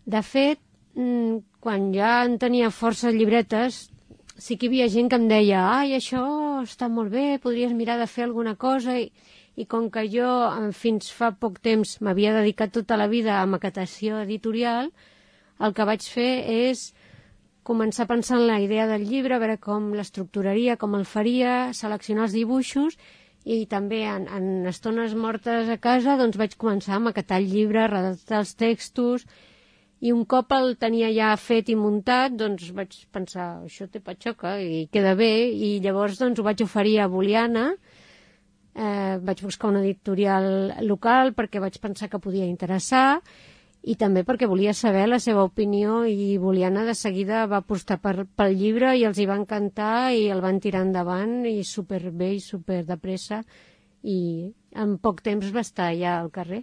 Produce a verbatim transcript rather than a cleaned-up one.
De fet, quan ja en tenia força llibretes, sí que hi havia gent que em deia ai, això està molt bé, podries mirar de fer alguna cosa, i, i com que jo fins fa poc temps m'havia dedicat tota la vida a maquetació editorial, el que vaig fer és començar a pensar en la idea del llibre, a veure com l'estructuraria, com el faria, seleccionar els dibuixos, i també en, en estones mortes a casa doncs vaig començar a maquetar el llibre, a redactar els textos, i un cop el tenia ja fet i muntat, doncs vaig pensar, això té patxoca i queda bé, i llavors doncs ho vaig oferir a Boliana, eh, vaig buscar una editorial local perquè vaig pensar que podia interessar, i també perquè volia saber la seva opinió, i Boliana de seguida va apostar per, pel llibre i els hi va encantar i el van tirar endavant i superbé i super de pressa, i en poc temps va estar ja al carrer.